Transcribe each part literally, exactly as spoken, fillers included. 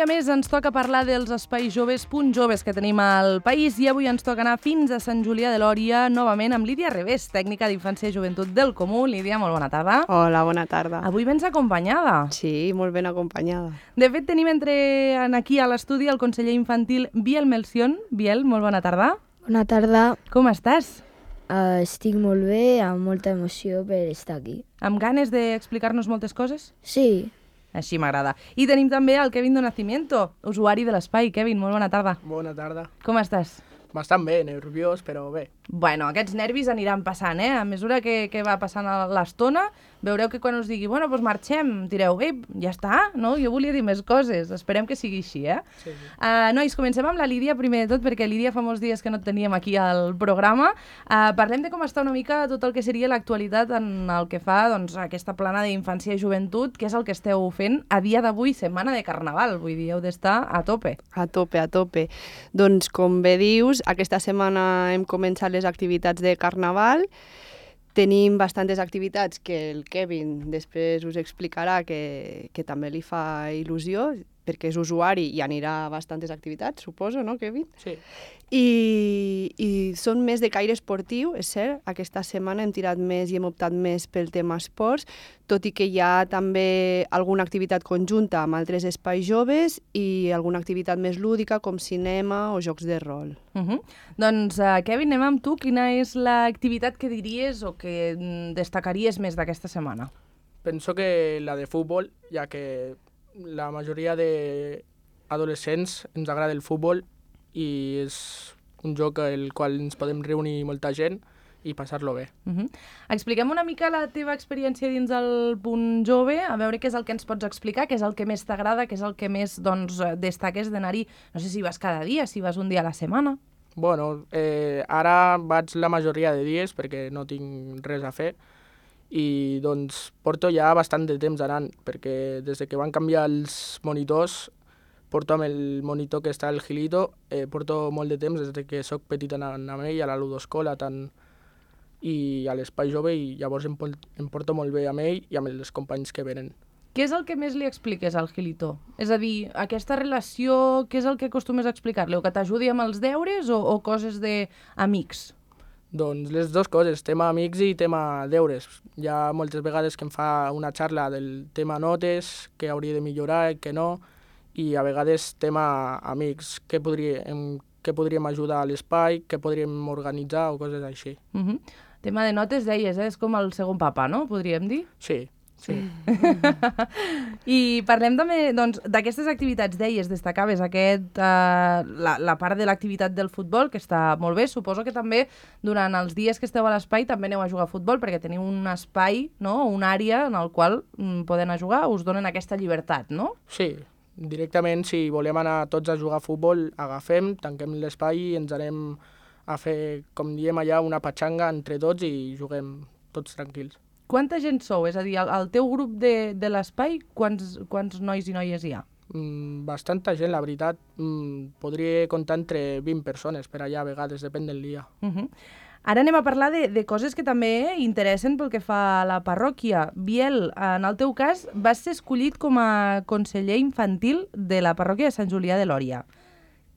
dia més ens toca parlar dels espais joves, punts joves que tenim al país, i avui ens toca anar fins a Sant Julià de Lòria, novament amb Lídia Revés, tècnica d'Infància i Joventut del Comú. Lídia, molt bona tarda. Hola, bona tarda. Avui vens acompanyada. Sí, molt ben acompanyada. De fet, tenim entre aquí a l'estudi el conseller infantil Biel Melcion. Biel, molt bona tarda. Bona tarda. Com estàs? Uh, estic molt bé, amb molta emoció per estar aquí. Amb ganes d'explicar-nos moltes coses? Sí. Així m'agrada. I tenim també el Kevin de Nacimiento, usuari de l'espai. Kevin, molt bona tarda. Bona tarda. Com estàs? Bastant bé, nerviós, però bé. Bueno, aquests nervis aniran passant, eh? A mesura que, que va passant l'estona, veureu que quan us digui, bueno, doncs marxem, direu, ei, ja està, no? Jo volia dir més coses. Esperem que sigui així, eh? Sí, sí. Uh, nois, comencem amb la Lídia, primer de tot, perquè Lídia fa molts dies que no et teníem aquí al programa. Uh, parlem de com està una mica tot el que seria l'actualitat en el que fa, doncs, aquesta plana d'infància i joventut, que és el que esteu fent a dia d'avui, setmana de Carnaval. Vull dir, heu d'estar a tope. A tope, a tope. Doncs, com bé dius, aquesta setmana hem començat les activitats de Carnaval. Tenim bastantes activitats que el Kevin després us explicarà que, que també li fa il·lusió, perquè és usuari i anirà a bastantes activitats, suposo, no, Kevin? Sí. I, i són més de caire esportiu, és cert. Aquesta setmana hem tirat més i hem optat més pel tema esports, tot i que hi ha també alguna activitat conjunta amb altres espais joves i alguna activitat més lúdica com cinema o jocs de rol. Uh -huh. Doncs, uh, Kevin, anem amb tu. Quina és l'activitat que diries o que mm, destacaries més d'aquesta setmana? Penso que la de futbol, ja que la majoria d'adolescents ens agrada el futbol i és un joc al qual ens podem reunir molta gent i passar-lo bé. Uh -huh. Expliquem una mica la teva experiència dins del punt jove, a veure què és el que ens pots explicar, què és el que més t'agrada, què és el que més doncs, destaques d'anar-hi. No sé si vas cada dia, si vas un dia a la setmana. Bueno, eh, ara vaig la majoria de dies perquè no tinc res a fer i doncs porto ja bastant de temps anant, perquè des que van canviar els monitors, porto amb el monitor que està al Gilito, eh, porto molt de temps des que sóc petit anant amb ell, a la ludoscola tant, i a l'espai jove, i llavors em, em porto molt bé amb ell i amb els companys que venen. Què és el que més li expliques al Gilito? És a dir, aquesta relació, què és el que acostumes a explicar-li? O que t'ajudi amb els deures o, o coses d'amics? Doncs les dues coses, tema amics i tema deures. Hi ha moltes vegades que em fa una xarra del tema notes, que hauria de millorar, que no, i a vegades tema amics, què, podria, em, què podríem ajudar a l'espai, què podríem organitzar o coses així. Uh -huh. Tema de notes, deies, eh? És com el segon papa, no? Podríem dir? Sí, sí. I parlem també doncs, d'aquestes activitats, deies, destacaves aquest, uh, la, la part de l'activitat del futbol, que està molt bé. Suposo que també durant els dies que esteu a l'espai també aneu a jugar a futbol, perquè teniu un espai, no? Una àrea en el qual mm, poden a jugar, us donen aquesta llibertat, no? Sí, directament, si volem anar tots a jugar a futbol, agafem, tanquem l'espai i ens anem a fer, com diem allà, una patxanga entre tots i juguem tots tranquils. Quanta gent sou? És a dir, al teu grup de, de l'espai, quants, quants nois i noies hi ha? Mm, bastanta gent, la veritat. Mm, podria comptar entre vint persones per allà, a vegades, depèn del dia. Uh -huh. Ara anem a parlar de, de coses que també interessen pel que fa a la parròquia. Biel, en el teu cas, vas ser escollit com a conseller infantil de la parròquia de Sant Julià de Lòria.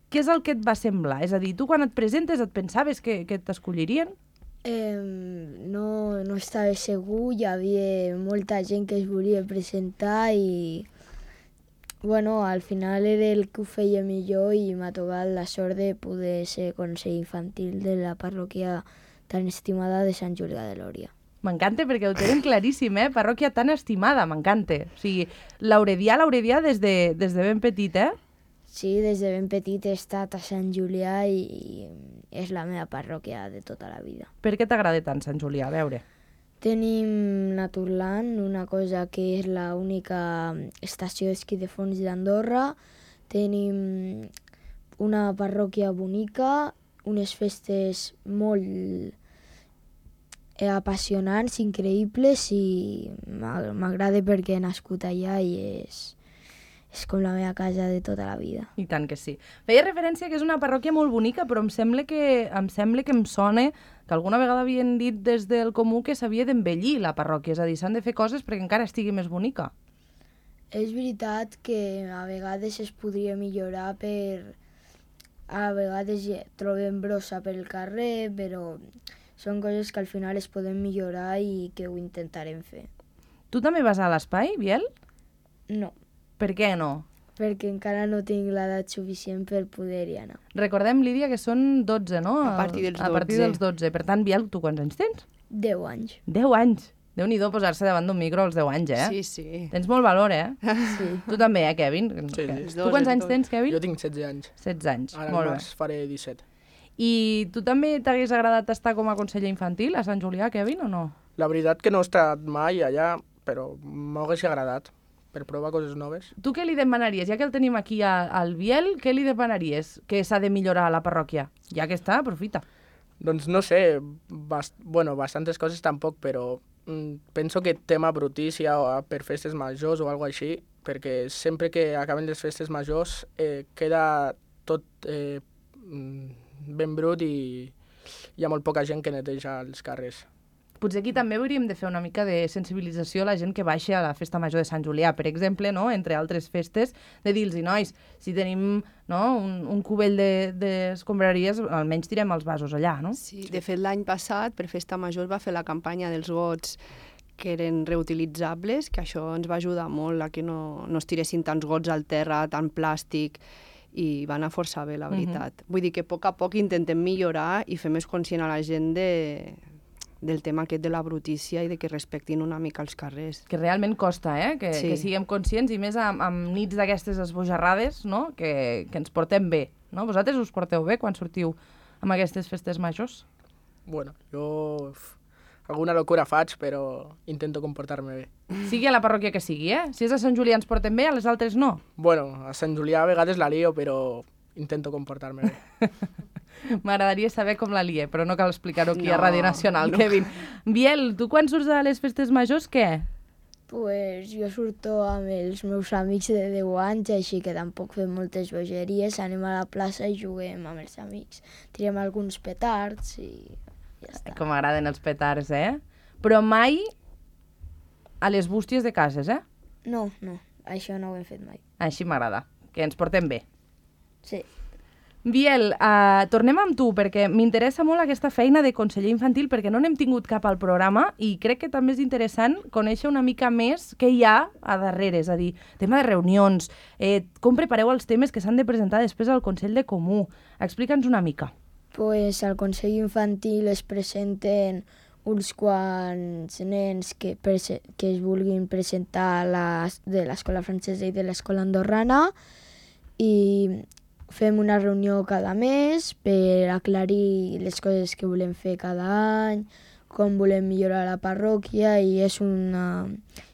Què és el que et va semblar? És a dir, tu quan et presentes et pensaves que, que t'escollirien? Eh, no, no estava segur, hi havia molta gent que es volia presentar i bueno, al final era el que ho feia millor i m'ha tocat la sort de poder ser conseller infantil de la parròquia tan estimada de Sant Julià de Lòria. M'encanta perquè ho tenen claríssim, eh? Parròquia tan estimada, m'encanta. O sigui, l'Auredià, l'Auredià des de, des de ben petit, eh? Sí, des de ben petit he estat a Sant Julià i, i és la meva parròquia de tota la vida. Per què t'agrada tant Sant Julià? A veure. Tenim Naturland, una cosa que és l'única estació d'esquí de fons d'Andorra. Tenim una parròquia bonica, unes festes molt apassionants, increïbles, i m'agrada perquè he nascut allà i és... és com la meva casa de tota la vida. I tant que sí. Feia referència que és una parròquia molt bonica, però em sembla que em, sembla que em sona que alguna vegada havien dit des del Comú que s'havia d'embellir la parròquia, és a dir, s'han de fer coses perquè encara estigui més bonica. és veritat que a vegades es podria millorar per... A vegades ja trobem brossa pel carrer, però són coses que al final es poden millorar i que ho intentarem fer. Tu també vas a l'espai, Biel? No, Per què no? perquè encara no tinc l'edat suficient per poder-hi anar. Recordem, Lídia, que són dotze, no? A partir dels A partir dotze. dels dotze. Per tant, Biel, tu quants anys tens? Deu anys. Deu anys. Déu-n'hi-do posar-se davant d'un micro als deu anys, eh? Sí, sí. Tens molt valor, eh? Sí. Tu també, eh, Kevin? Sí, Que- sí. Els Tu dos, quants els anys dos. tens, Kevin? Jo tinc setze anys. setze anys. Ara al Molt bé. març faré disset. I tu també t'hagués agradat estar com a conseller infantil a Sant Julià, Kevin, o no? La veritat que no he estat mai allà, però m'hagués agradat per provar coses noves. Tu què li demanaries? Ja que el tenim aquí a- al Biel, què li demanaries que s'ha de millorar a la parròquia? Ja que està, aprofita. Doncs no sé, bast bueno, bastantes coses tampoc, però mm, penso que tema brutícia o per festes majors o alguna així, perquè sempre que acaben les festes majors eh, queda tot eh, mm, ben brut i hi ha molt poca gent que neteja els carrers. Potser aquí també hauríem de fer una mica de sensibilització a la gent que baixa a la festa major de Sant Julià, per exemple, no? Entre altres festes, de dir-los, nois, si tenim no? un, un cubell d'escombraries, de, almenys tirem els vasos allà, no? Sí, de fet, l'any passat, per Festa Major, es va fer la campanya dels gots que eren reutilitzables, que això ens va ajudar molt a que no, no es tiressin tants gots al terra, tant plàstic, i va anar força bé, la veritat. Uh -huh. Vull dir que a poc a poc intentem millorar i fer més conscient a la gent de, del tema aquest de la brutícia i de que respectin una mica els carrers. Que realment costa, eh? Que, Sí. que siguem conscients, i més amb, amb nits d'aquestes esbojarrades, no? Que, que ens portem bé, no? Vosaltres us porteu bé quan sortiu amb aquestes festes majors? Bueno, jo f, alguna locura faig, però intento comportar-me bé. Sigui a la parròquia que sigui, eh? Si és a Sant Julià ens portem bé, a les altres no. Bueno, a Sant Julià a vegades la lio, però intento comportar-me bé. M'agradaria saber com la lie, però no cal explicar-ho aquí a No, Ràdio Nacional, no. Kevin. Biel, tu quan surts a les festes majors, què? Pues jo surto amb els meus amics de deu anys, així que tampoc fem moltes bogeries, anem a la plaça i juguem amb els amics. Tirem alguns petards i ja està. Com m'agraden els petards, eh? Però mai a les bústies de cases, eh? No, no, això no ho hem fet mai. Així m'agrada, que ens portem bé. Sí. Biel, uh, tornem amb tu, perquè m'interessa molt aquesta feina de conseller infantil, perquè no n'hem tingut cap al programa i crec que també és interessant conèixer una mica més què hi ha a darrere, és a dir, tema de reunions, eh, com prepareu els temes que s'han de presentar després al Consell de Comú. Explica'ns una mica. Pues al Consell Infantil es presenten uns quants nens que, prese que es vulguin presentar la, de l'escola francesa i de l'escola andorrana i fem una reunió cada mes per aclarir les coses que volem fer cada any, com volem millorar la parròquia i és una,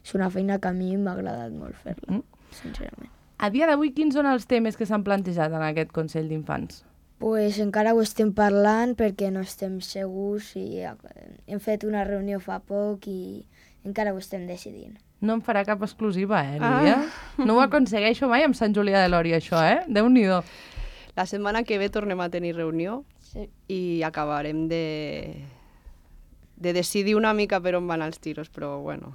és una feina que a mi m'ha agradat molt fer-la, Mm. sincerament. A dia d'avui, quins són els temes que s'han plantejat en aquest Consell d'Infants? Pues encara ho estem parlant perquè no estem segurs i hem fet una reunió fa poc i encara ho estem decidint. No em farà cap exclusiva, eh, Lídia? Ah. No ho aconsegueixo mai amb Sant Julià de Lòria, això, eh? Déu-n'hi-do. La setmana que ve tornem a tenir reunió Sí. i acabarem de, de decidir una mica per on van els tiros, però bueno.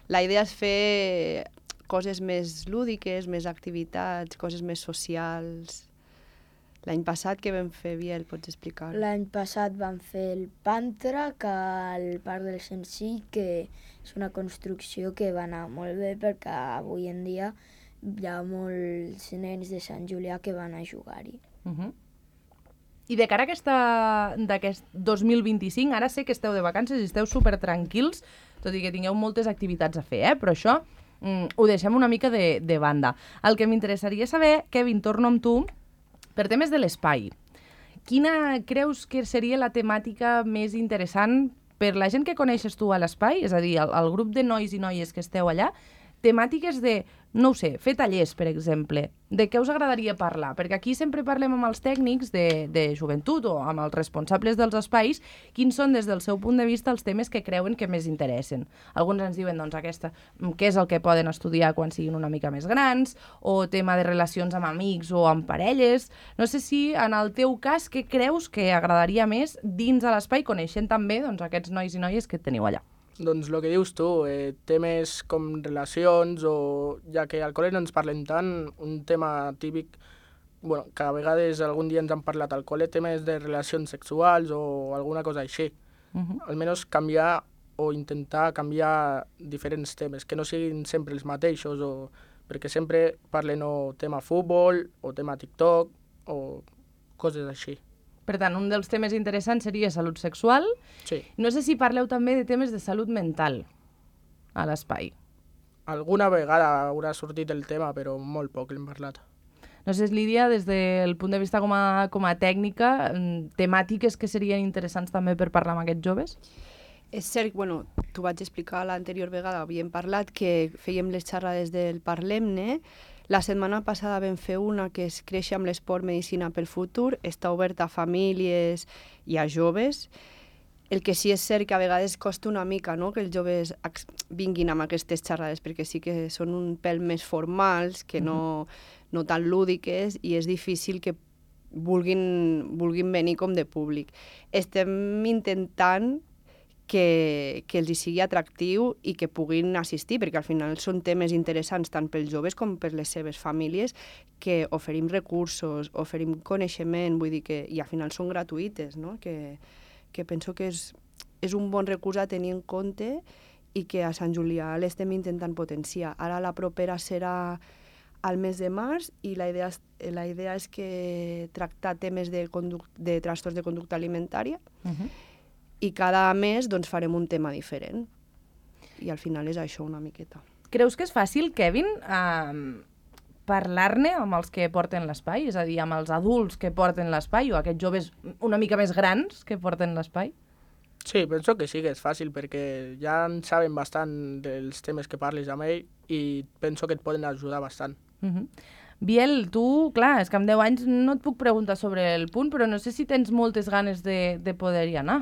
La idea és fer coses més lúdiques, més activitats, coses més socials. L'any passat què vam fer, Biel, pots explicar? L'any passat vam fer el Pantra, que al Parc del Sencí, que és una construcció que va anar molt bé perquè avui en dia hi ha molts nens de Sant Julià que van a jugar-hi. Uh -huh. I de cara a aquesta, d'aquest dos mil vint-i-cinc, ara sé que esteu de vacances i esteu super tranquils, tot i que tingueu moltes activitats a fer, eh? Però això mm, ho deixem una mica de, de banda. El que m'interessaria saber, Kevin, torno amb tu, per temes de l'espai. Quina creus que seria la temàtica més interessant per la gent que coneixes tu a l'espai, és a dir, el, el grup de nois i noies que esteu allà, temàtiques de, no ho sé, fer tallers, per exemple. De què us agradaria parlar? Perquè aquí sempre parlem amb els tècnics de, de joventut o amb els responsables dels espais quins són, des del seu punt de vista, els temes que creuen que més interessen. Alguns ens diuen, doncs, aquesta, què és el que poden estudiar quan siguin una mica més grans, o tema de relacions amb amics o amb parelles. No sé si, en el teu cas, què creus que agradaria més dins de l'espai, coneixent també doncs, aquests nois i noies que teniu allà? Doncs el que dius tu, eh, temes com relacions o ja que al col·le no ens parlen tant, un tema típic, bueno, que a vegades algun dia ens han parlat al col·le, temes de relacions sexuals o alguna cosa així. Uh -huh. Almenys canviar o intentar canviar diferents temes, que no siguin sempre els mateixos, o perquè sempre parlen o tema futbol o tema TikTok o coses així. Per tant, un dels temes interessants seria salut sexual. Sí. No sé si parleu també de temes de salut mental a l'espai. Alguna vegada haurà sortit el tema, però molt poc l'hem parlat. No sé, Lídia, des del punt de vista com a, com a tècnica, temàtiques que serien interessants també per parlar amb aquests joves? És cert, bueno, t'ho vaig explicar l'anterior vegada, havíem parlat que fèiem les xerrades del Parlem-ne. La setmana passada vam fer una que és Créixer amb l'esport, medicina pel futur, està oberta a famílies i a joves. El que sí és cert que a vegades costa una mica, no?, que els joves vinguin amb aquestes xerrades, perquè sí que són un pèl més formals, que no, no tan lúdiques, i és difícil que vulguin, vulguin venir com de públic. Estem intentant que, que els hi sigui atractiu i que puguin assistir, perquè al final són temes interessants tant pels joves com per les seves famílies, que oferim recursos, oferim coneixement, vull dir que, i al final són gratuïtes, no?, que, que penso que és, és un bon recurs a tenir en compte i que a Sant Julià l'estem intentant potenciar. Ara la propera serà al mes de març i la idea, la idea és que tractar temes de, conduc de trastorns de conducta alimentària, uh-huh. i cada mes doncs, farem un tema diferent. I al final és això una miqueta. Creus que és fàcil, Kevin, eh, parlar-ne amb els que porten l'espai? És a dir, amb els adults que porten l'espai o aquests joves una mica més grans que porten l'espai? Sí, penso que sí que és fàcil, perquè ja en saben bastant dels temes que parlis amb ell i penso que et poden ajudar bastant. Uh-huh. Biel, tu, clar, és que amb deu anys no et puc preguntar sobre el punt, però no sé si tens moltes ganes de, de poder-hi anar.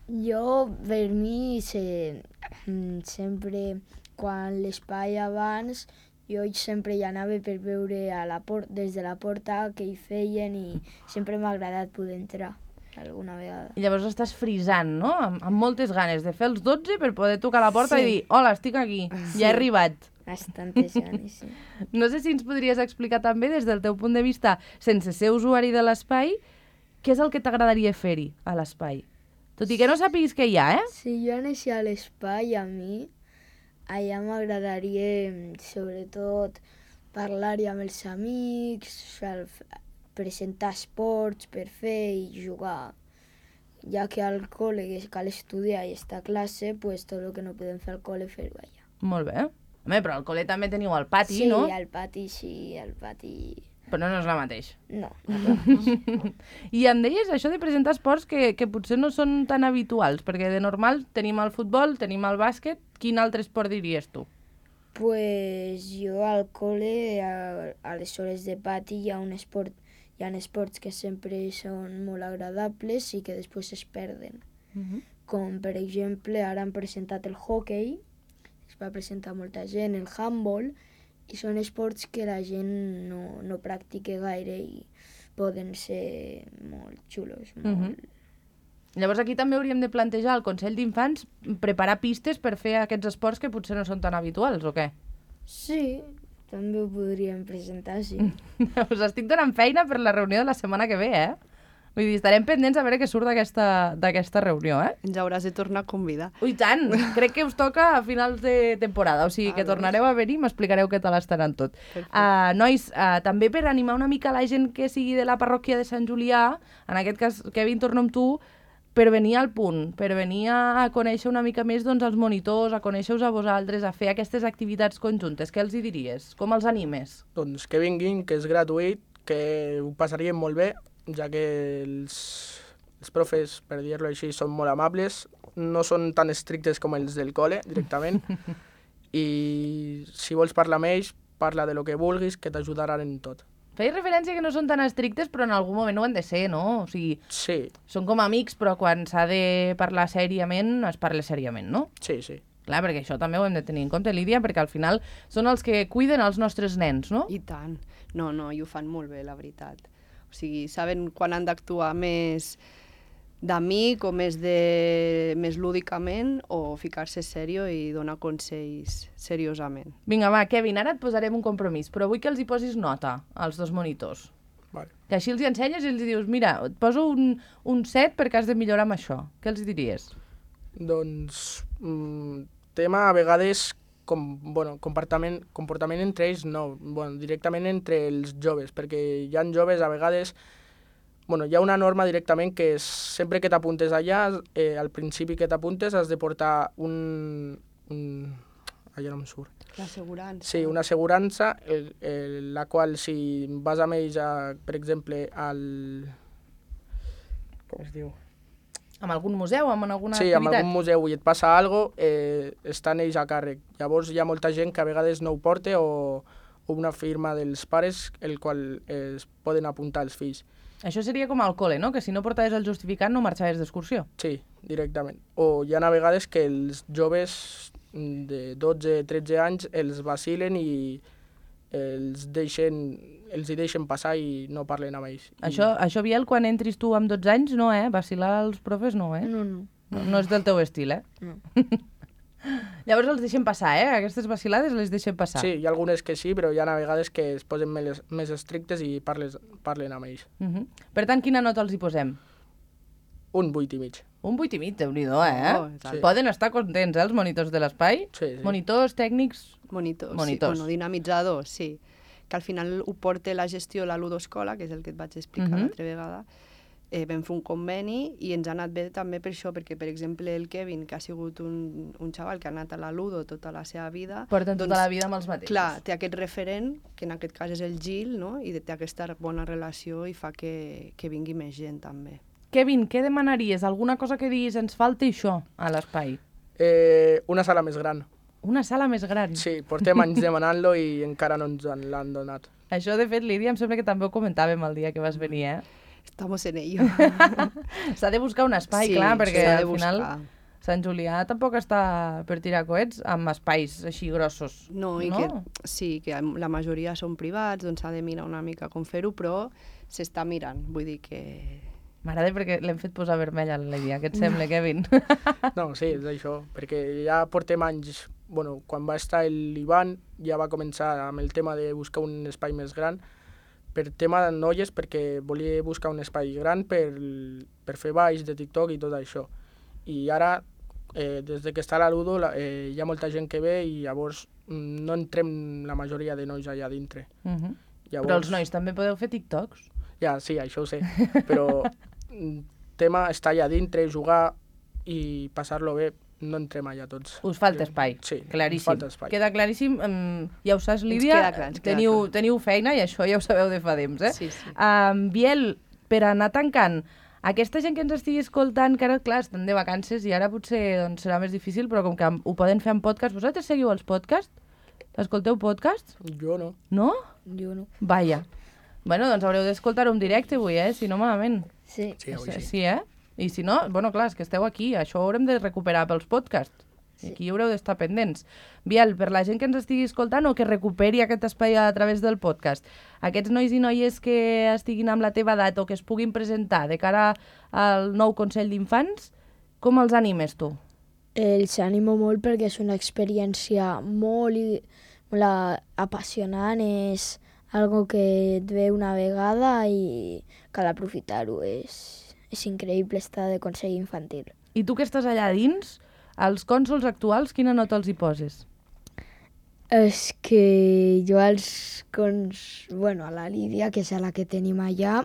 Jo, per mi, se, sempre, quan l'espai abans, jo sempre hi anava per veure a la por des de la porta què hi feien i sempre m'ha agradat poder entrar alguna vegada. I llavors estàs frisant, no? Amb, amb moltes ganes de fer els dotze per poder tocar la porta sí. i dir, hola, estic aquí, sí. ja he arribat. Bastantes ganes, sí. No sé si ens podries explicar també, des del teu punt de vista, sense ser usuari de l'espai, què és el que t'agradaria fer-hi a l'espai? Tot i que no sàpiguis què hi ha, eh? Si jo anessi a l'espai, a mi, allà m'agradaria, sobretot, parlar-hi amb els amics, presentar esports per fer i jugar. Ja que al col·le cal estudiar i estar a classe, pues tot el que no podem fer al col·le fer-ho allà. Molt bé. Home, però al col·le també teniu el pati, sí, no? Sí, al pati, sí, al pati... Però no és la mateix. No. I em deies això de presentar esports que, que potser no són tan habituals, perquè de normal tenim el futbol, tenim el bàsquet. Quin altre esport diries tu? Pues jo al col·le, a, a les hores de pati, hi ha un esport, hi ha esports que sempre són molt agradables i que després es perden. Uh-huh. Com, per exemple, ara han presentat el hockey, es va presentar molta gent, el handball, i són esports que la gent no, no practica gaire i poden ser molt xulos. Molt... Uh-huh. Llavors aquí també hauríem de plantejar al Consell d'Infants preparar pistes per fer aquests esports que potser no són tan habituals, o què? Sí, també ho podríem presentar, sí. Us estic donant feina per la reunió de la setmana que ve, eh? Vull dir, estarem pendents a veure què surt d'aquesta reunió, eh? Ens hauràs de tornar a convidar. Ui, tant! Crec que us toca a finals de temporada, o sigui que tornareu a venir i m'explicareu què tal estaran tot. Uh, nois, uh, també per animar una mica la gent que sigui de la parròquia de Sant Julià, en aquest cas, Kevin, torno amb tu, per venir al punt, per venir a conèixer una mica més doncs, els monitors, a conèixer-vos a vosaltres, a fer aquestes activitats conjuntes. Què els hi diries? Com els animes? Doncs que vinguin, que és gratuït, que ho passaríem molt bé, ja que els, els profes, per dir-ho així, són molt amables, no són tan estrictes com els del col·le, directament, i si vols parlar amb ells, parla de lo que vulguis, que t'ajudaran en tot. Feies referència que no són tan estrictes, però en algun moment ho han de ser, no? O sigui, sí. Són com amics, però quan s'ha de parlar sèriament, es parla sèriament, no? Sí, sí. Clar, perquè això també ho hem de tenir en compte, Lídia, perquè al final són els que cuiden els nostres nens, no? I tant. No, no, i ho fan molt bé, la veritat. O sigui, saben quan han d'actuar més, d'amic o més, de, més lúdicament o ficar-se serio i donar consells seriosament. Vinga, va, Kevin, ara et posarem un compromís, però vull que els hi posis nota als dos monitors. Vale. Que així els hi ensenyes i els hi dius, mira, et poso un, un set perquè has de millorar amb això. Què els diries? Doncs, mm, tema a vegades, com, bueno, comportament, comportament entre ells no, bueno, directament entre els joves, perquè hi ha joves a vegades, bueno, hi ha una norma directament que és, sempre que t'apuntes allà, eh, al principi que t'apuntes has de portar un... un allà no em surt. L'assegurança. Sí, una assegurança, el, el, la qual si vas amb ells, a, per exemple, al... com es diu? Amb algun museu, amb alguna sí, activitat? amb algun museu i et passa alguna cosa, eh, estan ells a càrrec. Llavors hi ha molta gent que a vegades no ho porta o, o una firma dels pares el qual eh, es poden apuntar els fills. Això seria com al col·le, no? Que si no portaves el justificant no marxaves d'excursió. Sí, directament. O hi ha a vegades que els joves de dotze tretze anys els vacilen i els deixen, els hi deixen passar i no parlen amb ells. Això, I... això, Biel, quan entris tu amb dotze anys, no, eh? Vacilar els profes, no, eh? No, no. No, no és del teu estil, eh? No. Llavors els deixen passar, eh? Aquestes vacilades les deixen passar. Sí, hi ha algunes que sí, però hi ha a vegades que es posen més, més estrictes i parles, parlen amb ells. Uh -huh. Per tant, quina nota els hi posem? Un vuit i mig. Un vuit i mig, déu-n'hi-do, eh? Oh, sí. Poden estar contents, eh, els monitors de l'espai? Sí, sí. Monitors, tècnics... Monitors, Monitors. sí. Bueno, dinamitzadors, sí. Que al final ho porta la gestió la Ludoscola, que és el que et vaig explicar Mhm. l'altra vegada. Eh, vam fer un conveni i ens ha anat bé també per això, perquè, per exemple, el Kevin, que ha sigut un, un xaval que ha anat a la Ludo tota la seva vida... Porten tota la vida amb els mateixos. Clar, té aquest referent, que en aquest cas és el Gil, no? I té aquesta bona relació i fa que, que vingui més gent també. Kevin, què demanaries? Alguna cosa que diguis, ens falta això a l'espai? Eh, una sala més gran. Una sala més gran. Sí, portem anys demanant-lo i encara no ens l'han donat. Això, de fet, Lídia, em sembla que també ho comentàvem el dia que vas venir, eh? Estamos en ello. S'ha de buscar un espai, Sí, clar, perquè s'ha de al final buscar. Sant Julià tampoc està per tirar coets amb espais així grossos. No, i no? que sí, que la majoria són privats, doncs s'ha de mirar una mica com fer-ho, però s'està mirant, vull dir que... M'agrada perquè l'hem fet posar vermell a la Lídia. Què et sembla, Kevin? No, sí, és això, perquè ja portem anys, bueno, quan va estar l'Ivan ja va començar amb el tema de buscar un espai més gran, per tema de noies, perquè volia buscar un espai gran per, per fer balls de TikTok i tot això. I ara, eh, des de que està la Ludo, la, eh, hi ha molta gent que ve i llavors mm, no entrem la majoria de nois allà dintre. Uh -huh. Llavors, Però els nois també podeu fer TikToks? Ja, sí, això ho sé, però el tema està allà dintre, jugar i passar-lo bé, no entrem allà tots. Us falta espai, Sí, claríssim. us falta espai. Queda claríssim, um, ja ho saps, Lídia, queda clar, ens queda teniu, clar. teniu feina i això ja ho sabeu de fa temps, eh? Sí, sí. Um, Biel, per anar tancant, aquesta gent que ens estigui escoltant, que ara, clar, estan de vacances i ara potser doncs, serà més difícil, però com que ho poden fer en podcast, vosaltres seguiu els podcasts? Escolteu podcasts? Jo no. No? Jo no. Vaja. Bueno, doncs haureu d'escoltar-ho en directe avui, eh? Si no, malament. Sí. Sí, avui Sí, sí. sí, eh? I si no, bueno, clar, és que esteu aquí, això ho haurem de recuperar pels podcasts. I aquí haureu d'estar pendents. Biel, per la gent que ens estigui escoltant o que recuperi aquest espai a través del podcast, aquests nois i noies que estiguin amb la teva edat o que es puguin presentar de cara al nou Consell d'Infants, com els animes tu? Els animo molt perquè és una experiència molt, i- molt a- apassionant, és algo que et ve una vegada i cal aprofitar-ho. És, és increïble estar de consell infantil. I tu que estàs allà dins, als cònsols actuals, quina nota els hi poses? És que jo als cons... Bueno, a la Lídia, que és a la que tenim allà,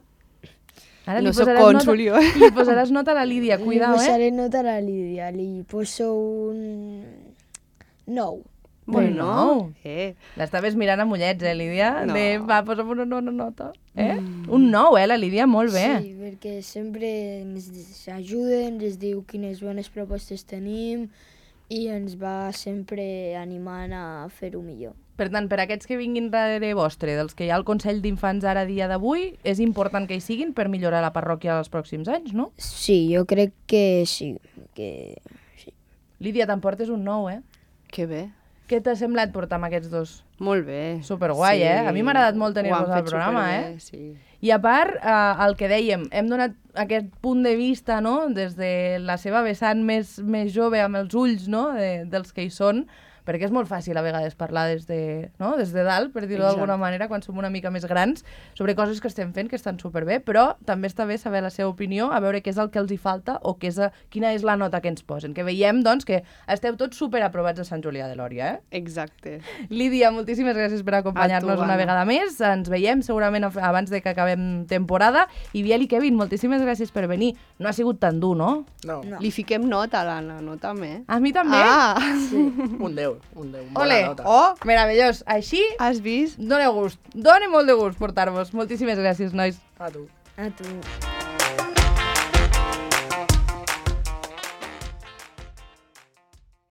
Ara No li soc posaràs cònsol, nota, jo. li posaràs nota a la Lídia, li cuidao, eh? posaré nota a la Lídia, li poso un nou. Bueno, Bueno, eh, l'estaves mirant amb ullets, eh, Lídia? No. De, va, posa'm una, una nota. Eh? Mm. Un nou, eh, la Lídia, molt bé. Sí, perquè sempre ens ajuda, ens diu quines bones propostes tenim i ens va sempre animant a fer-ho millor. Per tant, per aquests que vinguin darrere vostre, dels que hi ha al Consell d'Infants ara a dia d'avui, és important que hi siguin per millorar la parròquia els pròxims anys, no? Sí, jo crec que sí. Que... Lídia, t'emportes un nou, eh? que bé. Què t'ha semblat portar amb aquests dos? Molt bé. Superguai, eh? A mi m'ha agradat molt tenir-vos Ho han al fet programa, superbé, eh? Sí. I a part, eh, el que dèiem, hem donat aquest punt de vista, no?, des de la seva vessant més, més jove, amb els ulls, no?, de, dels que hi són, perquè és molt fàcil a vegades parlar des de, no?, des de dalt, per dir-ho d'alguna manera, quan som una mica més grans, sobre coses que estem fent que estan superbé, però també està bé saber la seva opinió, a veure què és el que els hi falta o què és a, quina és la nota que ens posen. Que veiem, doncs, que esteu tots superaprovats a Sant Julià de Lòria, eh? Exacte. Lídia, moltíssimes gràcies per acompanyar-nos una vegada més. Ens veiem segurament abans de que acabem temporada. I Biel i Kevin, moltíssimes gràcies per venir. No ha sigut tan dur, no? No, No. Li fiquem nota a l'Anna, no també? A mi també? Ah! un deu, un deu, bona Ole! nota. Oh, meravellós. Així Has vist? dóna gust. Dóna molt de gust portar-vos. Moltíssimes gràcies, nois. A tu. A tu.